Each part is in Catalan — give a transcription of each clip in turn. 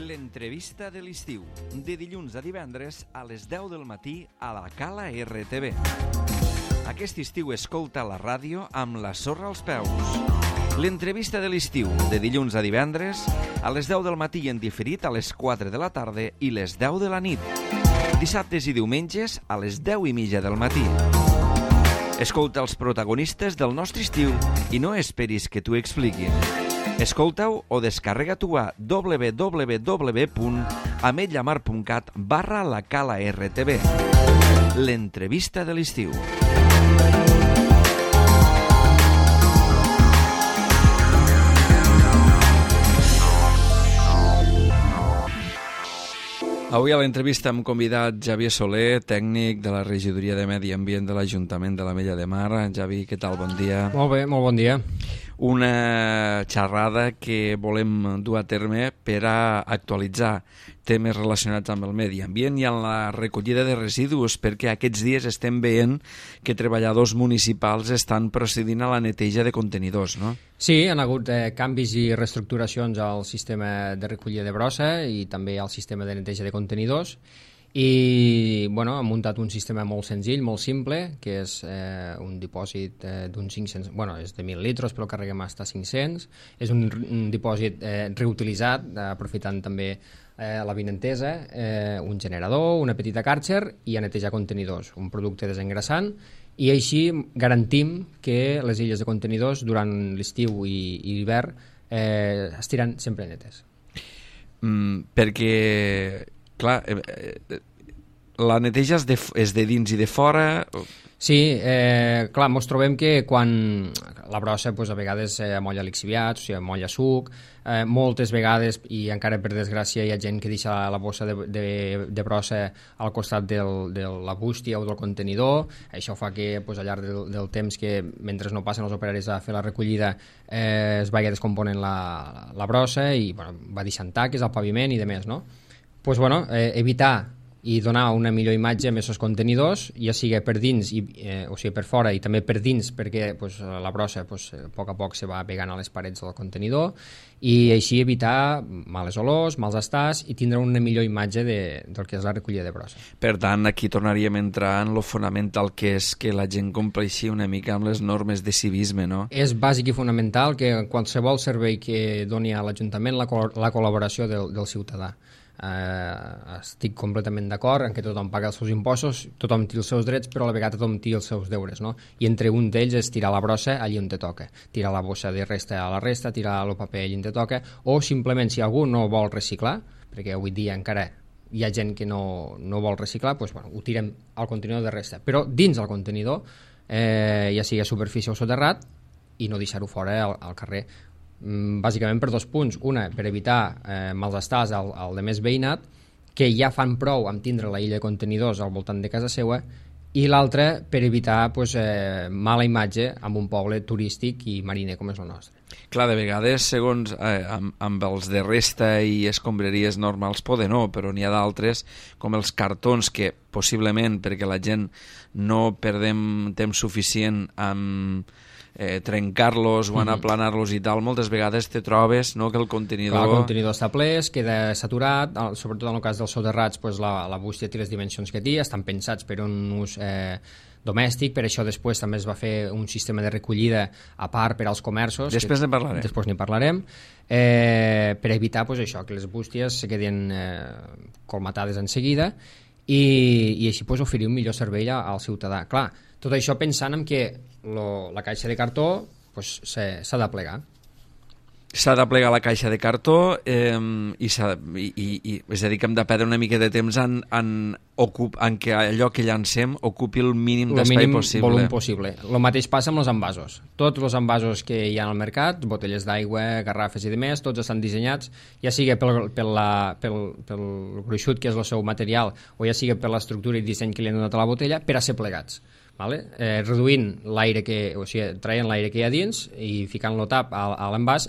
L'entrevista de l'estiu, de dilluns a divendres a les 10 del matí a la Cala RTV. Aquest estiu escolta la ràdio amb la sorra als peus. L'entrevista de l'estiu, de dilluns a divendres a les 10 del matí en diferit a les 4 de la tarda i les 10 de la nit. Dissabtes i diumenges a les 10:30 del matí. Escolta els protagonistes del nostre estiu i no esperis que t'ho expliquin. Escolta-ho o descarrega-t'ho a www.ametlllamar.cat/la Cala RTV. L'entrevista de l'estiu. Avui a l'entrevista hem convidat Javier Soler, tècnic de la Regidoria de Medi Ambient de l'Ajuntament de l'Ametlla de Mar. Javi, què tal? Bon dia. Molt bé, molt bon dia. Una xerrada que volem dur a terme per a actualitzar temes relacionats amb el medi ambient i amb la recollida de residus, perquè aquests dies estem veient que treballadors municipals estan procedint a la neteja de contenidors, no? Sí, han hagut canvis i reestructuracions al sistema de recollida de brossa i també al sistema de neteja de contenidors i bueno, han muntat un sistema molt senzill, molt simple, que és un dipòsit d'uns 500, bueno, és de 1.000 litres, però el carreguem fins a 500. És un dipòsit reutilitzat, aprofitant també l'avinentesa, un generador, una petita càrcer i a netejar contenidors, un producte desengrassant, i així garantim que les illes de contenidors durant l'estiu i l'hivern estiran sempre netes. Perquè, clar, la neteja és de dins i de fora? Sí, clar, ens trobem que quan la brossa a vegades amolla lixiviats, o sigui, amolla suc, moltes vegades, i encara per desgràcia hi ha gent que deixa la bossa de brossa al costat de la bústia o del contenidor. Això fa que al llarg del temps, que mentre no passen els operaris a fer la recollida, es vagi descomponent la brossa i va deixant taques al paviment i demés, no? Evitar i donar una millor imatge amb aquests contenidors, ja sigui per dins, o sigui per fora i també per dins, perquè la brossa a poc a poc se va pegant a les parets del contenidor, i així evitar males olors, mals estats i tindre una millor imatge del que és la recollida de brossa. Per tant, aquí tornaríem a entrar en lo fonamental que és que la gent compleixi una mica amb les normes de civisme, no? És bàsic i fonamental que qualsevol servei que doni a l'Ajuntament la col·laboració del ciutadà. Estic completament d'acord en que tothom paga els seus impostos, tothom té els seus drets, però a la vegada tothom té els seus deures, no? I entre un d'ells és tirar la brossa allí on te toca, tirar la bossa de resta a la resta, tirar el paper allí on te toca, o simplement si algú no vol reciclar, perquè avui dia encara hi ha gent que no vol reciclar, ho tirem al contenidor de resta, però dins el contenidor, ja sigui a superfície o soterrat, i no deixar-ho fora al carrer. Bàsicament per dos punts. Una, per evitar mals estats al de més veïnat, que ja fan prou amb tindre la illa de contenidors al voltant de casa seva, i l'altra per evitar mala imatge amb un poble turístic i mariner com és el nostre. Clar, de vegades, segons amb els de resta i escombraries normals poden no, però n'hi ha d'altres, com els cartons, que possiblement perquè la gent no perdem temps suficient amb trencar-los o anar a aplanar-los i tal, moltes vegades te trobes que el contenidor... Clar, el contenidor està ple, es queda saturat, sobretot en el cas dels soterrats, la bústia té les dimensions que té, estan pensats per un ús domèstic, per això després també es va fer un sistema de recollida a part per als comerços. Després n'hi parlarem. Després n'hi parlarem, per evitar això, que les bústies se quedin colmatades en seguida i així oferir un millor servei al ciutadà. Clar, tot això pensant en que la caixa de cartó s'ha de plegar. S'ha de plegar la caixa de cartó i és a dir, que hem de perdre una mica de temps en que allò que llancem ocupi el mínim d'espai possible. El volum possible. El mateix passa amb els envasos. Tots els envasos que hi ha al mercat, botelles d'aigua, garrafes i demés, tots estan dissenyats, ja sigui pel gruixut que és el seu material o ja sigui per l'estructura i disseny que li han donat a la botella, per a ser plegats. Reduint l'aire traient l'aire que hi ha dins i ficant-lo tap a l'envàs,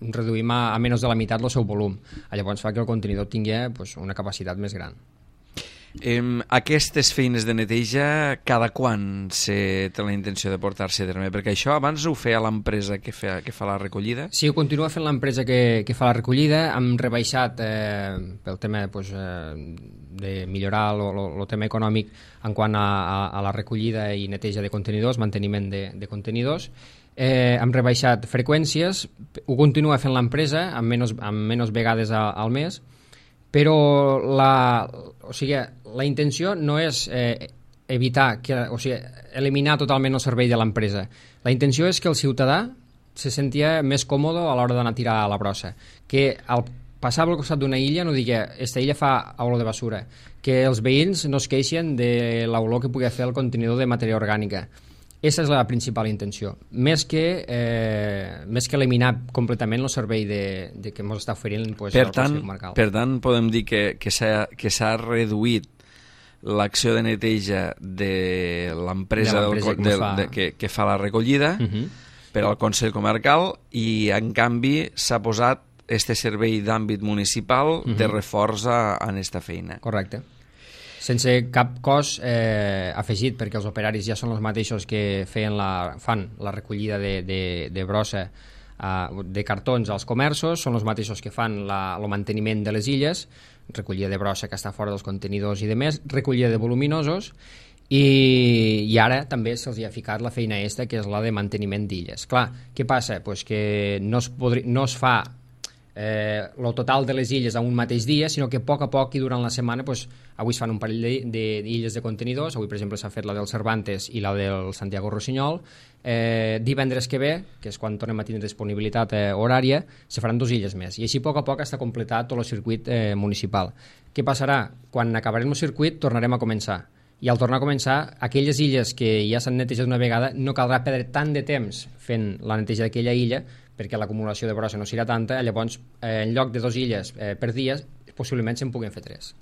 reduïm a menys de la meitat el seu volum. Llavors fa que el contenidor tingui una capacitat més gran. Aquestes feines de neteja, cada quan se té la intenció de portar-se a terme? Perquè això abans ho feia l'empresa que fa la recollida? Sí, ho continua fent l'empresa que fa la recollida. Hem rebaixat pel tema de millorar el tema econòmic en quant a la recollida i neteja de contenidors, manteniment de contenidors. Hem rebaixat freqüències, ho continua fent l'empresa amb menys vegades al mes, però la intenció no és eliminar totalment el servei de l'empresa. La intenció és que el ciutadà se sentia més còmode a l'hora d'anar a tirar a la brossa, que al passar al costat d'una illa no digui esta illa fa olor de basura, que els veïns no es queixen de l'olor que pugui fer el contenidor de matèria orgànica. Aquesta és la principal intenció, més que eliminar completament el servei que ens està oferint el Consell Comarcal. Per tant, podem dir que s'ha reduït l'acció de neteja de l'empresa que fa la recollida per al Consell Comarcal i, en canvi, s'ha posat este servei d'àmbit municipal de reforç en aquesta feina. Correcte. Sense cap cost afegit, perquè els operaris ja són els mateixos que fan la recollida de brossa de cartons als comerços, són els mateixos que fan el manteniment de les illes, recollida de brossa que està fora dels contenidors i demés, recollida de voluminosos, i ara també se'ls ha ficat la feina aquesta, que és la de manteniment d'illes. Clar, què passa? Pues que no es fa el total de les illes a un mateix dia, sinó que a poc i durant la setmana avui es fan un parell d'illes de contenidors. Avui, per exemple, s'ha fet la del Cervantes i la del Santiago Rossinyol. Divendres que ve, que és quan tornem a tindre disponibilitat horària, se faran 2 illes més, i així a poc està completat tot el circuit municipal. Què passarà? Quan acabarem el circuit tornarem a començar, i al tornar a començar, aquelles illes que ja s'han netejat una vegada no caldrà perdre tant de temps fent la neteja d'aquella illa, perquè l'acumulació de brossa no serà tanta. Llavors, en lloc de 2 illes per dia, possiblement se'n puguin fer 3.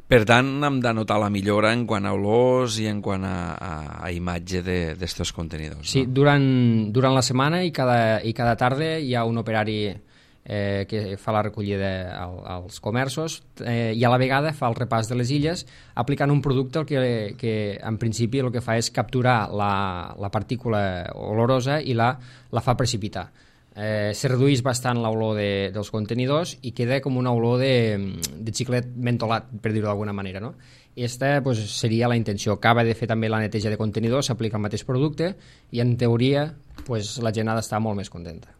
Per tant, hem de notar la millora en quant a olors i en quant a imatge d'estos contenidors. Sí, no? Durant la setmana i cada tarda hi ha un operari que fa la recollida als comerços i a la vegada fa el repàs de les illes aplicant un producte que en principi el que fa és capturar la partícula olorosa i la fa precipitar. Se redueix bastant l'olor dels contenidors i queda com una olor de xiclet mentolat, per dir-ho d'alguna manera, no? Aquesta seria la intenció. Acaba de fer també la neteja de contenidors, s'aplica el mateix producte i en teoria la gent ha d'estar molt més contenta.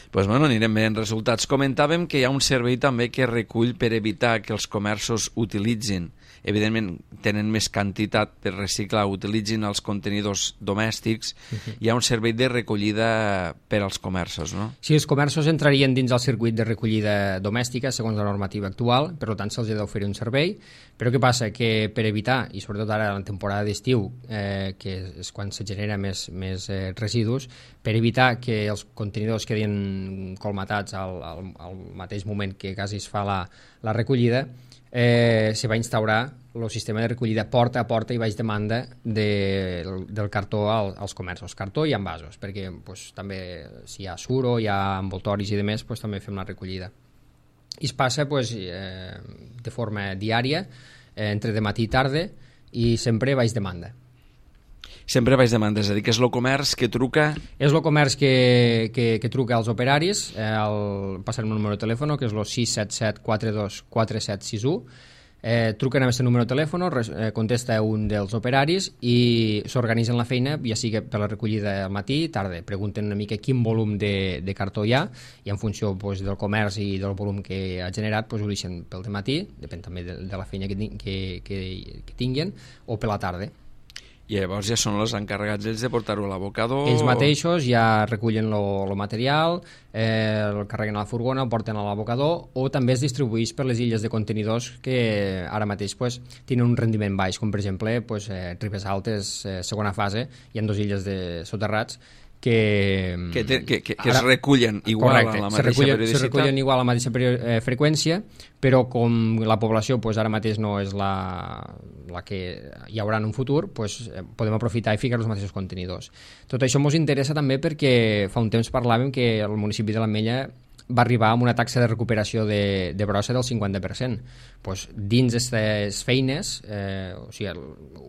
Anirem veient resultats. Comentàvem que hi ha un servei també que recull per evitar que els comerços utilitzin, evidentment tenen més quantitat per reciclar, utilitzin els contenidors domèstics. Hi ha un servei de recollida per als comerços, no? Sí, els comerços entrarien dins el circuit de recollida domèstica segons la normativa actual, per tant se'ls ha d'oferir un servei, però què passa? Que per evitar, i sobretot ara en la temporada d'estiu, que és quan se genera més residus, per evitar que els contenidors quedin colmatats al mateix moment que quasi es fa la recollida, se va instaurar el sistema de recollida porta a porta i baix demanda del cartó als comerços, cartó i envasos, perquè també si hi ha suro, hi ha envoltoris i demés, també fem la recollida. I es passa de forma diària, entre de matí i tarda, i sempre baix demanda. Sempre baix demanda, és a dir, que és el comerç que truca... És el comerç que truca als operaris, passarem un número de telèfon, que és el 677 42 4761, truquen a aquest número de telèfon, contesta un dels operaris i s'organitzen la feina, ja sigui per la recollida al matí i tarda. Pregunten una mica quin volum de cartó hi ha i en funció del comerç i del volum que ha generat ho deixen pel dematí, depèn també de la feina que tinguin, o per la tarda. I llavors ja són els encarregats ells de portar-ho a l'abocador? Ells mateixos ja recullen el material, el carreguen a la furgona, el porten a l'abocador, o també es distribueix per les illes de contenidors que ara mateix tenen un rendiment baix, com per exemple Ribes Altes, segona fase, hi ha 2 illes de soterrats que es recullen igual a la mateixa periodicitat. Se recullen igual a la mateixa freqüència, però com la població ara mateix no és la que hi haurà en un futur, podem aprofitar i ficar els mateixos contenidors. Tot això ens interessa també perquè fa un temps parlàvem que el municipi de l'Ametlla va arribar amb una taxa de recuperació de brossa del 50%. Pues, dins d'aquestes feines, o sigui,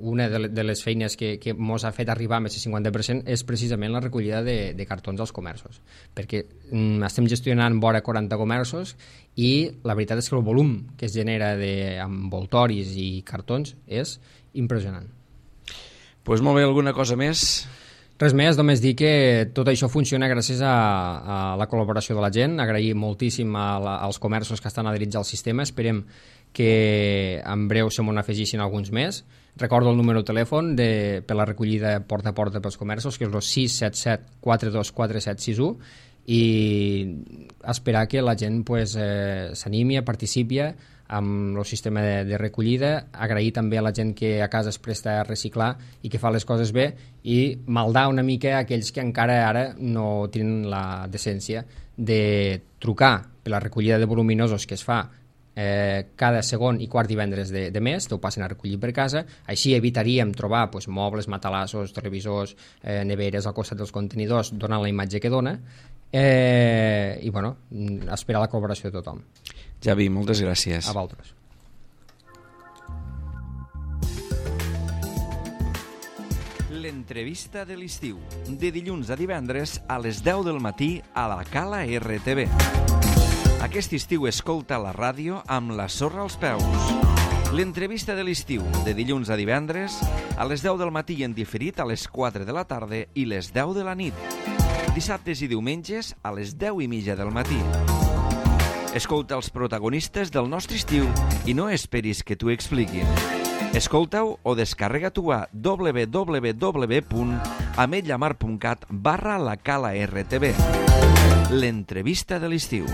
una de les feines que ens ha fet arribar amb aquest 50% és precisament la recollida de cartons als comerços, perquè estem gestionant vora 40 comerços i la veritat és que el volum que es genera d'envoltoris i cartons és impressionant. Pues molt bé, alguna cosa més? Res més, només dir que tot això funciona gràcies a la col·laboració de la gent. Agrair moltíssim als comerços que estan adherits al sistema. Esperem que en breu se m'ho afegissin alguns més. Recordo el número de telèfon per la recollida porta a porta pels comerços, que és el 677 424761, i esperar que la gent s'animi, participi amb el sistema de recollida. Agrair també a la gent que a casa es presta a reciclar i que fa les coses bé, i maldar una mica a aquells que encara ara no tenen la decència de trucar per la recollida de voluminosos que es fa cada segon i quart divendres de mes, te ho passen a recollir per casa. Així evitaríem trobar mobles, matalassos, televisors, neveres al costat dels contenidors, donant la imatge que dona, i bueno, esperar la col·laboració de tothom. Javi, moltes gràcies. A vosaltres. L'entrevista de l'estiu, de dilluns a divendres a les 10 del matí a la Cala RTV. Aquest estiu escolta la ràdio amb la sorra als peus. L'entrevista de l'estiu, de dilluns a divendres a les 10 del matí i en diferit a les 4 de la tarda i les 10 de la nit. Dissabtes i diumenges a les 10:30 del matí. Escolta els protagonistes del nostre estiu i no esperis que t'ho expliquin. Escolta-ho o descarrega-t'ho a www.ametlllamar.cat/la Cala RTV. L'entrevista de l'estiu.